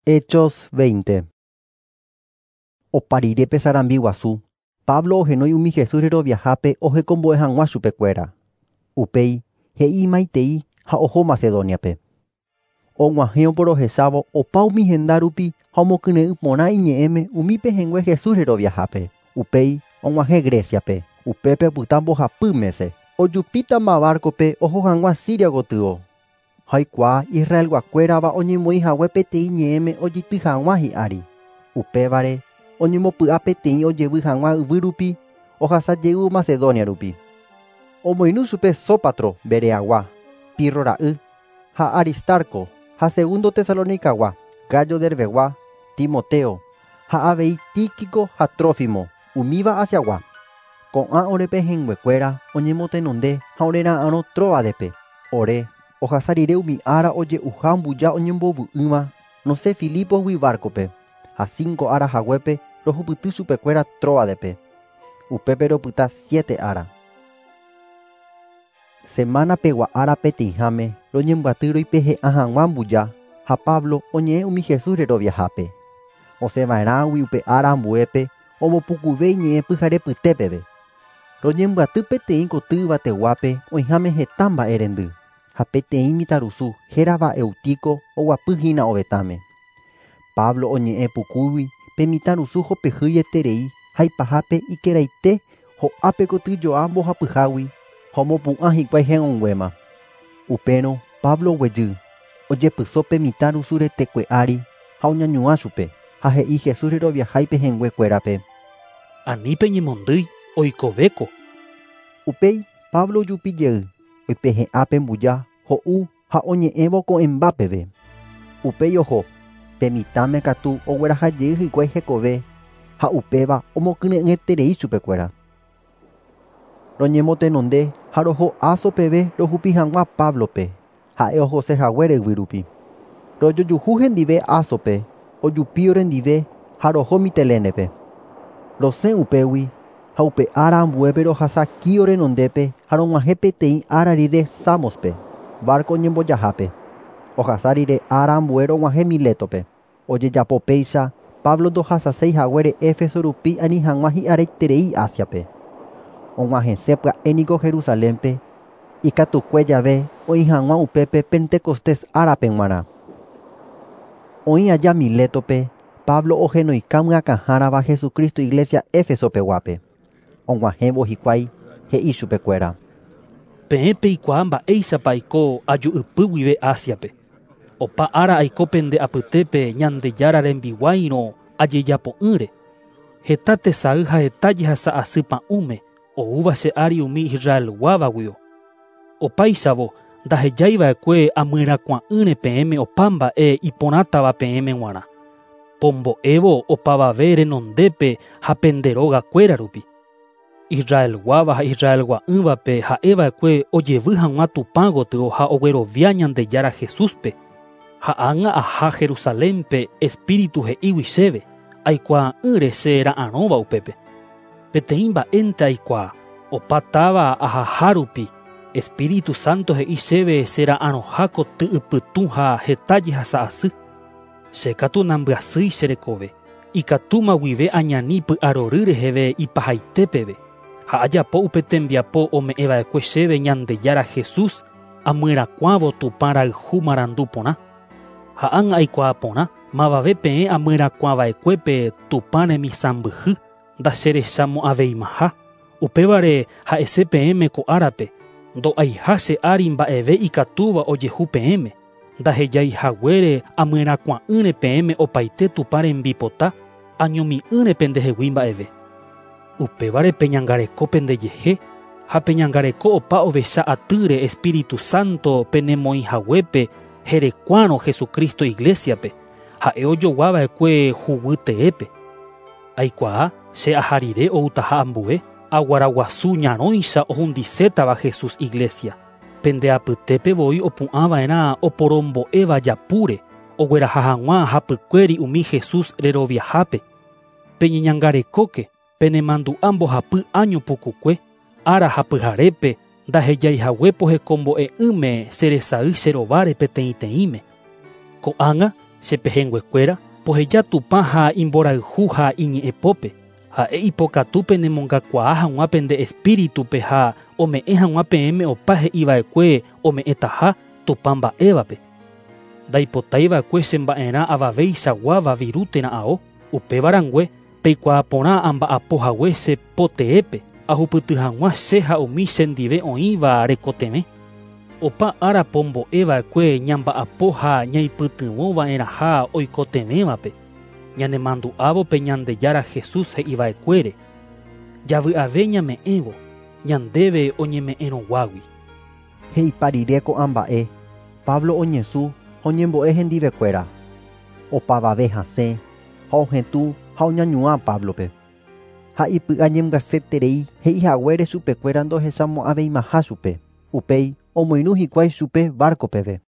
Hechos 20. Opa rire pe sarambi guasu, Pablo ohenói umi Jesús reroviahápe ohekombo'e hag̃ua chupekuéra. Upéi he'i imaitei ha oho Macedóniape. Og̃uahẽ oporohechávo opa umi henda rupi ha omokyre'ỹ porã iñe'ẽme umi pehẽngue Jesús reroviahápe. Upéi og̃uahẽ Greciape. Upépe opyta mbohapy mése. Ojupítama barco-pe oho hag̃ua Siria gotyo. Ha oikuaa Israelguakuérava oñemoĩ hague peteĩ ñe'ẽme ojeity hag̃ua hi'ári. Upévare oñemopy'a peteĩ ojevy hag̃ua yvy rupi ohasa jeývo Macedonia rupi. Omoirũ chupe Sópatro Bereagua, Pirro ra'y, ha Aristarco ha Segundo Tesalonicagua, Gayo Derbegua, Timoteo, ha avei Tíquico ha Trófimo, umíva Asiagua. Ko'ã ore pehẽnguekuéra oñemotenonde ha orera'arõ Tróadepe. Ore ohasa rire umi ára oje'uha mbuja oñembovy'ỹva rosẽ Filíposgui barco-pe ha cinco ára haguépe rohupyty chupekuéra Tróadepe. Upépe ropyta siete ára. Semana pegua ára peteĩháme roñembyaty roipehe'ã hag̃ua mbuja ha Pablo oñe'ẽ umi Jesús reroviahápe. Osẽva'erãgui upe ára ambuépe ombopukuve iñe'ẽ pyharepyte peve. Roñembyaty peteĩ koty yvateguápe oĩháme heta mba'e rendy ha peteĩ mitãrusu hérava Eutico oguapyhína ovetãme. Pablo oñe'ẽ pukúgui pe mitãrusu hopehýieterei ha ipahápe ikeraite ho'ápe kotyjoa mbohapyhágui ha omopu'ã hikuái he'õnguéma. Upérõ Pablo oguejy, ojepyso pe mitãrusu retekue ári ha oñañuã chupe ha he'i Jesús reroviahái pehẽnguekuérape. Ani peñemondýi oikovéko. Upéi Pablo ojupi jey, oipehe'ã pe mbuja, ho'u ha oñe'ẽvo ko'ẽmba peve. Upéi oho, pe mitãme katu ogueraha jey hikuái hekove ha upéva omokyre'ỹeterei chupekuéra. Roñemotenonde ha roho Aso peve rohupi hag̃ua Pablope, ha'e ohose haguére yvy rupi. Rojojuhu hendive Asope, ojupi orendive ha roho Mitilenepe. Rosẽ upégui ha upe ára ambuépe rohasa Quío renondépe ha rog̃uahẽ peteĩ ára rire Samospe, barco oñembojahápe. Ohasa rire ára ambue rog̃uahẽ Miletope. Ojejapo péicha Pablo ndohasaséi haguére Éfeso rupi ani hag̃ua hi'areterei Asiape. Og̃uahẽse pya'e niko Jerusalénpe ikatukue jave oĩ hag̃ua upépe Pentecostés árape g̃uarã. Oĩ aja Miletope, Pablo ohenoika myakãhárava Jesucristo Iglesia Éfesopeguápe. Og̃uahẽvo hikuái he'i chupekuéra. Peẽ peikuaa mba'éichapa aiko aju'ypy guive Asiape. Opa ára aiko pende apytépe Ñandejára rembiguáirõ ajejapo'ỹre. Heta tesay ha heta jehasa asy pa'ũme oúva che ári umi Israelguávaguio. Opáichavo ndahejaiva'ekue amyrakuã'ỹre peẽme opa mba'e iporãtava peẽme g̃uarã. Pombo'évo opavave renondépe ha pende rógakuéra rupi. Israelguáva ha Israelgua'ỹvape ha'eva'ekue ojevy hag̃ua Tupã gotyo ha oguerovia Ñandejára Jesúspe. Ha ág̃a aha Jerusalénpe Espíritu he'ígui chéve, aikuaa'ỹre che ra'arõva upépe. Peteĩ mba'énte aikuaa, opa táva ahaha rupi, Espíritu Santo he'i chéve che ra'arõha koty ypytũ ha heta jehasa asy. Che katu nambyasýi che rekove, ikatúma guive añani py'arory reheve ipahaite peve. Ha ajapo upe tembiapo ome'ẽva'ekue chéve Ñandejára Jesús amyrakuãvo Tupã rayhu marandu porã. Ha ág̃a aikuaa porã, mavave peẽ amyrakuãva'ekuépe Tupã remisãmbyhy ndacherechamo'ãveimaha. Upévare ha'ese peẽme ko árape, ndo'aiha che ári mba'eve ikatúva ojehu peẽme. Ndahejaihaguére amyrakuã'ỹre peẽme opaite Tupã rembipota, añomi'ỹre pendehegui mba'eve. Upévare peñangareko pendejehe ha peñangareko opa ovecha atýre Espíritu Santo penemoĩhaguépe herekuárõ Jesucristo Iglesiape, ha'e ojoguava'ekue huguy teépe. Aikuaa che aha rire outaha ambue, aguaraguasu ñarõicha ohundisétava Jesús Iglesia. Pende apytépe voi opu'ãva'erã oporombo'éva japúre, ogueraha hag̃ua hapykuéri umi Jesús reroviahápe. Peñeñangarekóke, penemandu'a mbohapy año pukukue, ára ha pyharépe ndahejaihague pohekombo'e'ỹme cheresay che rováre peteĩteĩme. Ko'ág̃a Che pehẽnguekuéra, poheja Tupã ha imborayhu ha iñe'ẽpópe. Ha'e ipokatu penemongakuaa hag̃ua pende espíritupe ha ome'ẽ hag̃ua peẽme opa he'iva'ekue ome'ẽtaha Tupã mba'évape. Ndaipotaiva'ekue che mba'erã avaveichaguáva viru térã ao. Upéva rangue peikuaa porã amba'apo hague che poteépe ahupyty hag̃ua che ha umi chendive oĩva rekotevẽ. Opa ára pombo'eva'ekue ñamba'apo ha ñaipytyvõva'erãha oikotevẽvape. Ñanemandu'ávo pe Ñandejára Jesús he'iva'ekuére. Javy'ave ñame'ẽvo, ñandéve oñeme'ẽrõguágui. He'ipa rire ko'ã mba'e, Pablo oñesũ ha oñembo'e hendivekuéra. Opavave hasẽ ha ohetũ ha oñañuã Pablope. Ha ipy'a ñembyasyeterei he'ihaguére chupekuéra ndohechamo'ãveimaha chupe. Upéi omoirũ hikuái chupe barco peve.